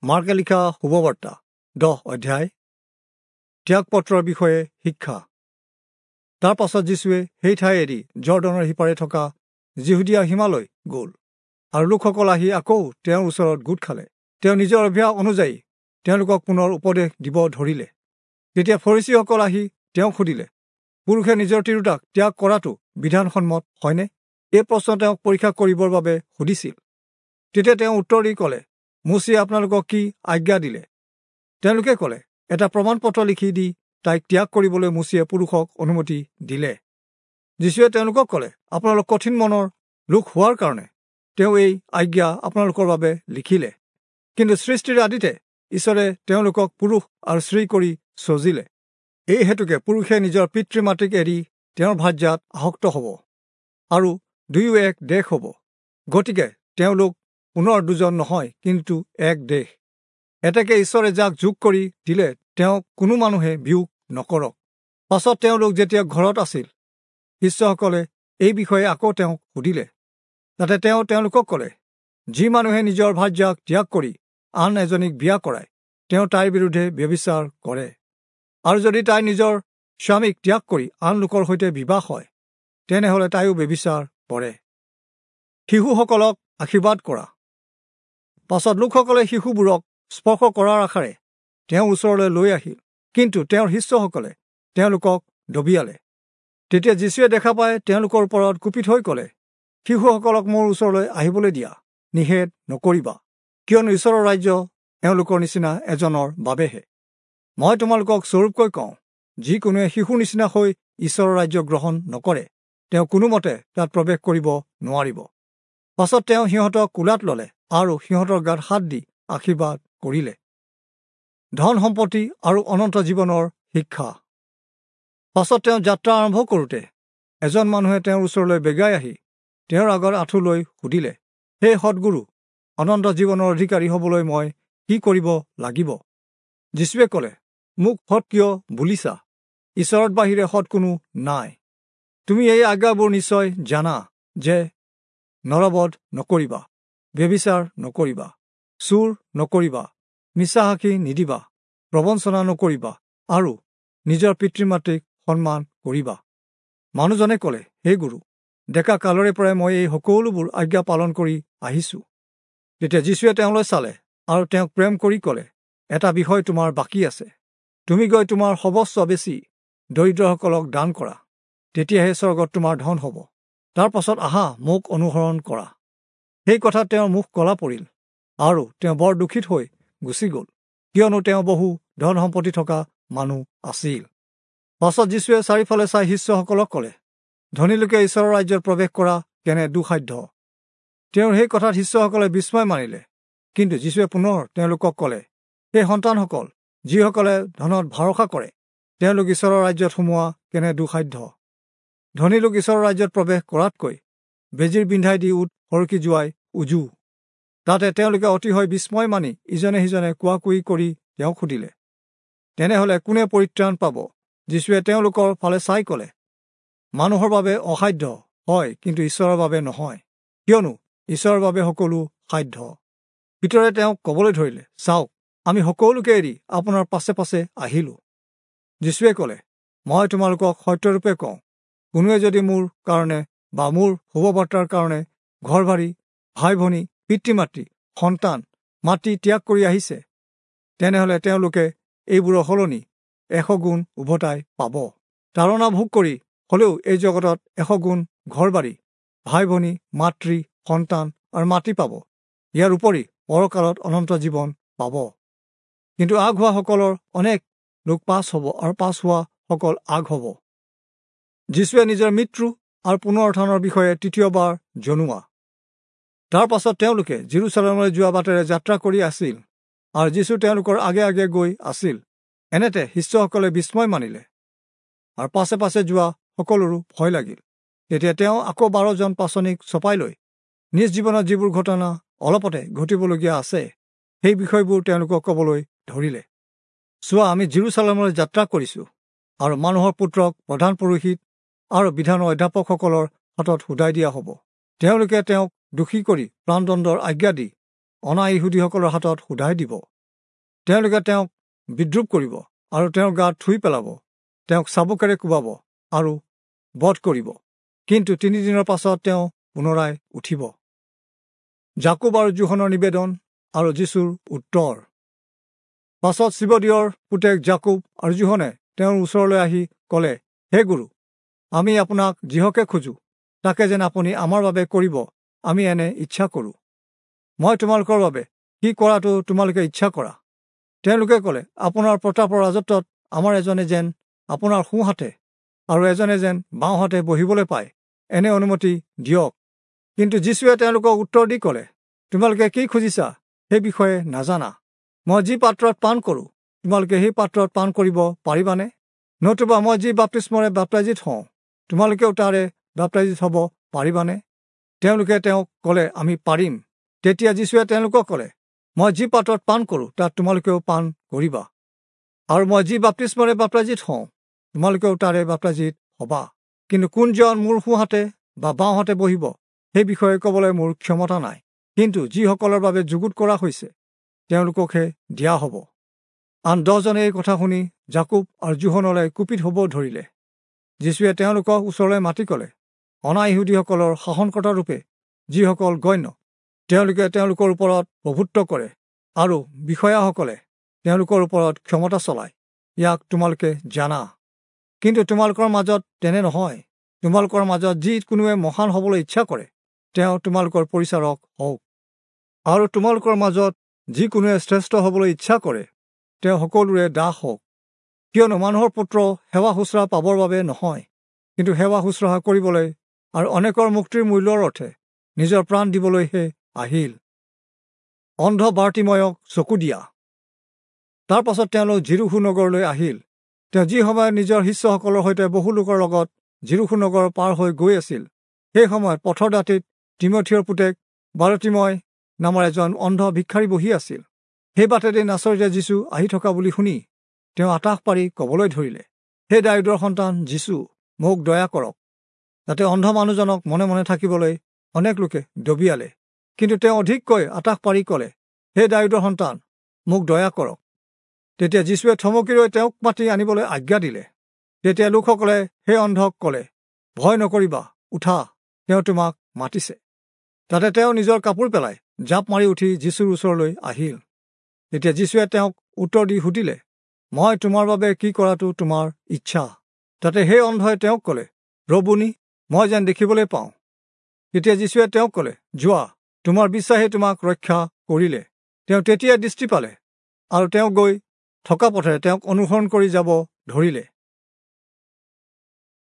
মাৰ্কে লিখা শুভবাৰ্তা 10 অধ্যায়। ত্যাগপত্ৰৰ বিষয়ে শিক্ষা। তাৰ পাছত যীশুৱে সেই ঠাই এৰি জৰ্দনৰ সিপাৰে থকা যিহুদীয়া সীমালৈ গ'ল, আৰু লোকসকল আহি আকৌ তেওঁৰ ওচৰত গোট খালে। তেওঁ নিজৰ অভ্যাস অনুযায়ী তেওঁলোকক পুনৰ উপদেশ দিব ধৰিলে। তেতিয়া ফৰীচীসকল আহি তেওঁক সুধিলে, পুৰুষে নিজৰ তিৰোতাক ত্যাগ কৰাটো বিধানসন্মত হয়নে? এই প্ৰশ্ন তেওঁক পৰীক্ষা কৰিবৰ বাবে সুধিছিল। তেতিয়া তেওঁ উত্তৰ দি ক'লে, মোচিয়ে আপোনালোকক কি আজ্ঞা দিলে? তেওঁলোকে ক'লে, এটা প্ৰমাণপত্ৰ লিখি দি তাইক ত্যাগ কৰিবলৈ মোচিয়ে পুৰুষক অনুমতি দিলে। যীশুৱে তেওঁলোকক ক'লে, আপোনালোক কঠিন মনৰ লোক হোৱাৰ কাৰণে তেওঁ এই আজ্ঞা আপোনালোকৰ বাবে লিখিলে। কিন্তু সৃষ্টিৰ আদিতে ঈশ্বৰে তেওঁলোকক পুৰুষ আৰু স্ত্ৰী কৰি সজিলে। এই হেতুকে পুৰুষে নিজৰ পিতৃ মাতৃক এৰি তেওঁৰ ভাৰ্যাত আসক্ত হ'ব, আৰু দুয়ো এক দেশ হ'ব। গতিকে তেওঁলোক পুনৰ দুজন নহয়, কিন্তু এক দেশ। এতেকে ঈশ্বৰে যাক যোগ কৰি দিলে তেওঁক কোনো মানুহে বিয়োগ নকৰক। পাছত তেওঁলোক যেতিয়া ঘৰত আছিল, শিষ্যসকলে এই বিষয়ে আকৌ তেওঁক সুধিলে। তাতে তেওঁ তেওঁলোকক ক'লে, যি মানুহে নিজৰ ভাৰ্যাক ত্যাগ কৰি আন এজনীক বিয়া কৰায়, তেওঁ তাইৰ বিৰুদ্ধে ব্যভিচাৰ কৰে। আৰু যদি তাই নিজৰ স্বামীক ত্যাগ কৰি আন লোকৰ সৈতে বিবাহ হয়, তেনেহ'লে তাইও ব্যভিচাৰ কৰে। শিশুসকলক আশীৰ্বাদ কৰা। পাছত লোকসকলে শিশুবোৰক স্পৰ্শ কৰাৰ আশাৰে তেওঁৰ ওচৰলৈ লৈ আহিল, কিন্তু তেওঁৰ শিষ্যসকলে তেওঁলোকক দবিয়ালে। তেতিয়া যীশুৱে দেখা পাই তেওঁলোকৰ ওপৰত কুপিত হৈ ক'লে, শিশুসকলক মোৰ ওচৰলৈ আহিবলৈ দিয়া, নিষেধ নকৰিবা, কিয়নো ঈশ্বৰৰ ৰাজ্য এওঁলোকৰ নিচিনা এজনৰ বাবেহে। মই তোমালোকক স্বৰূপকৈ কওঁ, যিকোনোৱে শিশুৰ নিচিনা হৈ ঈশ্বৰৰ ৰাজ্য গ্ৰহণ নকৰে, তেওঁ কোনোমতে তাত প্ৰৱেশ কৰিব নোৱাৰিব। পাছত তেওঁ সিহঁতক কোলাত ল'লে আৰু সিহঁতৰ গাত হাত দি আশীৰ্বাদ কৰিলে। ধন সম্পত্তি আৰু অনন্ত জীৱনৰ শিক্ষা। পাছত তেওঁ যাত্ৰা আৰম্ভ কৰোঁতে এজন মানুহে তেওঁৰ ওচৰলৈ বেগাই আহি তেওঁৰ আগত আঁঠু লৈ সুধিলে, হে সদ্গুৰু, অনন্ত জীৱনৰ অধিকাৰী হ'বলৈ মই কি কৰিব লাগিব? যীশুৱে ক'লে, মোক সৎ কিয় বুলিছা? ঈশ্বৰত বাহিৰে সৎ কোনো নাই। তুমি এই আজ্ঞাবোৰ নিশ্চয় জানা যে নৰবধ নকৰিবা, ব্যভিচাৰ নকৰিবা, চুৰ নকৰিবা, মিছা সাক্ষী নিদিবা, প্ৰবঞ্চনা নকৰিবা আৰু নিজৰ পিতৃ মাতৃক সন্মান কৰিবা। মানুহজনে ক'লে, হে গুৰু, ডেকা কালৰে পৰাই মই এই সকলোবোৰ আজ্ঞা পালন কৰি আহিছোঁ। তেতিয়া যীশুৱে তেওঁলৈ চালে আৰু তেওঁক প্ৰেম কৰি ক'লে, এটা বিষয় তোমাৰ বাকী আছে। তুমি গৈ তোমাৰ সৰ্বস্ব বেছি দৰিদ্ৰসকলক দান কৰা, তেতিয়াহে স্বৰ্গত তোমাৰ ধন হ'ব। তাৰ পাছত আহা, মোক অনুসৰণ কৰা। সেই কথাত তেওঁৰ মুখ কলা পৰিল আৰু তেওঁ বৰ দুখিত হৈ গুচি গ'ল, কিয়নো তেওঁ বহু ধন সম্পত্তি থকা মানুহ আছিল। পাছত যীশুৱে চাৰিওফালে চাই শিষ্যসকলক ক'লে, ধনী লোকে ঈশ্বৰৰ ৰাজ্যত প্ৰৱেশ কৰা কেনে দুঃসাধ্য। তেওঁৰ সেই কথাত শিষ্যসকলে বিস্ময় মানিলে। কিন্তু যীশুৱে পুনৰ তেওঁলোকক ক'লে, সেই সন্তানসকল, যিসকলে ধনত ভৰসা কৰে, তেওঁলোক ঈশ্বৰৰ ৰাজ্যত সোমোৱা কেনে দুঃসাধ্য। ধনী লোক ঈশ্বৰৰ ৰাজ্যত প্ৰৱেশ কৰাতকৈ বেজীৰ বিন্ধাই দি উট সৰকি যোৱাই উজু। তাতে তেওঁলোকে অতিশয় বিস্ময় মানি ইজনে সিজনে কোৱা কুই কৰি তেওঁক সুধিলে, তেনেহ'লে কোনে পৰিত্ৰাণ পাব? যীশুৱে তেওঁলোকৰ ফালে চাই ক'লে, মানুহৰ বাবে অসাধ্য হয়, কিন্তু ঈশ্বৰৰ বাবে নহয়, কিয়নো ঈশ্বৰৰ বাবে সকলো সাধ্য। পিতৰে তেওঁক ক'বলৈ ধৰিলে, চাওক, আমি সকলোকে এৰি আপোনাৰ পাছে পাছে আহিলোঁ। যীশুৱে ক'লে, মই তোমালোকক সত্যৰূপে কওঁ, কোনোৱে যদি মোৰ কাৰণে বা মোৰ শুভবাৰ্তাৰ কাৰণে ঘৰ বাৰী, ভাই ভনী, পিতৃ মাতৃ, সন্তান, মাটি ত্যাগ কৰি আহিছে, তেনেহ'লে তেওঁলোকে এইবোৰৰ সলনি 100 গুণ উভতাই পাব। তাৰণা ভোগ কৰি হ'লেও এই জগতত 100 গুণ ঘৰ বাৰী, ভাই ভনী, মাতৃ, সন্তান আৰু মাটি পাব। ইয়াৰ উপৰি পৰকালত অনন্ত জীৱন পাব। কিন্তু আগ হোৱাসকলৰ অনেক লোক পাছ হ'ব আৰু পাছ হোৱাসকল আগ হ'ব। যীশুৱে নিজৰ মৃত্যু আৰু পুনৰুত্থানৰ বিষয়ে তৃতীয়বাৰ জনোৱা। তাৰ পাছত তেওঁলোকে যিৰূচালেমলৈ যোৱা বাটেৰে যাত্ৰা কৰি আছিল আৰু যীশু তেওঁলোকৰ আগে আগে গৈ আছিল। এনেতে শিষ্যসকলে বিস্ময় মানিলে আৰু পাছে পাছে যোৱা সকলোৰো ভয় লাগিল। তেতিয়া তেওঁ আকৌ 12 জন পাচনিক চপাই লৈ নিজ জীৱনত যিবোৰ ঘটনা অলপতে ঘটিবলগীয়া আছে, সেই বিষয়বোৰ তেওঁলোকক ক'বলৈ ধৰিলে। চোৱা, আমি যিৰূচালেমলৈ যাত্ৰা কৰিছোঁ আৰু মানুহৰ পুত্ৰক প্ৰধান পুৰোহিত আৰু বিধানৰ অধ্যাপকসকলৰ হাতত সোধাই দিয়া হ'ব। তেওঁলোকে তেওঁক দোষী কৰি প্ৰাণদণ্ডৰ আজ্ঞা দি অনা ইহুদীসকলৰ হাতত সোধাই দিব। তেওঁলোকে তেওঁক বিদ্ৰূপ কৰিব আৰু তেওঁৰ গাত থুই পেলাব, তেওঁক চাবুকেৰে কোবাব আৰু বধ কৰিব, কিন্তু 3 দিনৰ পাছত তেওঁ পুনৰাই উঠিব। যাকোব আৰু যোহনৰ নিবেদন আৰু যীশুৰ উত্তৰ। পাছত চিবদিয়ৰ পুতেক যাকোব আৰু যোহনে তেওঁৰ ওচৰলৈ আহি ক'লে, হে গুৰু, আমি আপোনাক যিহকে খোজোঁ তাকে যেন আপুনি আমাৰ বাবে কৰিব, আমি এনে ইচ্ছা কৰোঁ। মই তোমালোকৰ বাবে কি কৰাটো তোমালোকে ইচ্ছা কৰা? তেওঁলোকে ক'লে, আপোনাৰ প্ৰতাপৰ ৰাজত্বত আমাৰ এজনে যেন আপোনাৰ সোঁহাতে আৰু এজনে যেন বাওঁহাতে বহিবলৈ পায়, এনে অনুমতি দিয়ক। কিন্তু যীশুৱে তেওঁলোকক উত্তৰ দি ক'লে, তোমালোকে কি খুজিছা সেই বিষয়ে নাজানা। মই যি পাত্ৰত পান কৰোঁ তোমালোকে সেই পাত্ৰত পান কৰিব পাৰিবানে? নতুবা মই যি বাপ্তিস্মৰে বাপ্তাইজিত হওঁ তোমালোকেও তাৰে বাপ্তাইজিত হ'ব পাৰিবানে? তেওঁলোকে তেওঁক ক'লে, আমি পাৰিম। তেতিয়া যীশুৱে তেওঁলোকক ক'লে, মই যি পাত্ৰত পান কৰোঁ তাত তোমালোকেও পান কৰিবা, আৰু মই যি বাপ্তিস্মৰে বাপ্তাইজিত হওঁ তোমালোকেও তাৰে বাপ্তাইজিত হ'বা। কিন্তু কোনজন মোৰ সোঁহাতে বা বাওঁহাতে বহিব সেই বিষয়ে ক'বলৈ মোৰ ক্ষমতা নাই, কিন্তু যিসকলৰ বাবে যুগুত কৰা হৈছে তেওঁলোককহে দিয়া হ'ব। আন 10জনে এই কথা শুনি যাকোব আৰু যোহনলৈ কুপিত হ'ব ধৰিলে। যীশুৱে তেওঁলোকক ওচৰলৈ মাতি ক'লে, অনা ইহুদীসকলৰ শাসনকৰ্তাৰূপে যিসকল গণ্য, তেওঁলোকে তেওঁলোকৰ ওপৰত প্ৰভুত্ব কৰে আৰু বিষয়াসকলে তেওঁলোকৰ ওপৰত ক্ষমতা চলায়, ইয়াক তোমালোকে জানা। কিন্তু তোমালোকৰ মাজত তেনে নহয়। তোমালোকৰ মাজত যি কোনোৱে মহান হ'বলৈ ইচ্ছা কৰে তেওঁ তোমালোকৰ পৰিচাৰক হওক, আৰু তোমালোকৰ মাজত যি কোনোৱে শ্ৰেষ্ঠ হ'বলৈ ইচ্ছা কৰে তেওঁ সকলোৰে দাস হওক। কিয়নো মানুহৰ পুত্ৰ সেৱা শুশ্ৰূষা পাবৰ বাবে নহয়, কিন্তু সেৱা শুশ্ৰূষা কৰিবলৈ আৰু অনেকৰ মুক্তিৰ মূল্যৰ অৰ্থে নিজৰ প্ৰাণ দিবলৈহে আহিল। অন্ধ বাৰ্তিময়ক চকু দিয়া। তাৰ পাছত তেওঁলোক যিৰূহো নগৰলৈ আহিল। তেওঁ যি সময়ত নিজৰ শিষ্যসকলৰ সৈতে বহু লোকৰ লগত যিৰূহো নগৰ পাৰ হৈ গৈ আছিল, সেই সময়ত পথৰ দাঁতিত তীমথিয়ৰ পুতেক বাৰতিময় নামৰ এজন অন্ধ ভিক্ষাৰী বহি আছিল। সেই বাটেদি নাচৰিতে যীশু আহি থকা বুলি শুনি তেওঁ আটাহ পাৰি ক'বলৈ ধৰিলে, হে দায়ূদৰ সন্তান যীশু, মোক দয়া কৰক। যাতে অন্ধ মানুহজনক মনে মনে থাকিবলৈ অনেক লোকে দবিয়ালে, কিন্তু তেওঁ অধিককৈ আটাহ পাৰি ক'লে, হে দায়ূদৰ সন্তান, মোক দয়া কৰক। তেতিয়া যীশুৱে থমকি ৰৈ তেওঁক মাতি আনিবলৈ আজ্ঞা দিলে। তেতিয়া লোকসকলে সেই অন্ধক ক'লে, ভয় নকৰিবা, উঠা, তেওঁ তোমাক মাতিছে। তাতে তেওঁ নিজৰ কাপোৰ পেলাই জাঁপ মাৰি উঠি যীশুৰ ওচৰলৈ আহিল। তেতিয়া যীশুৱে তেওঁক উত্তৰ দি সুধিলে, মই তোমাৰ বাবে কি কৰাটো তোমাৰ ইচ্ছা? তাতে সেই অন্ধই তেওঁক ক'লে, ৰবুনি, মই যেন দেখিবলৈ পাওঁ। তেতিয়া যীশুৱে তেওঁক ক'লে, যোৱা, তোমাৰ বিশ্বাসে তোমাক ৰক্ষা কৰিলে। তেওঁ তেতিয়া দৃষ্টি পালে আৰু তেওঁ গৈ থকা পথেৰে তেওঁক অনুসৰণ কৰি যাব ধৰিলে।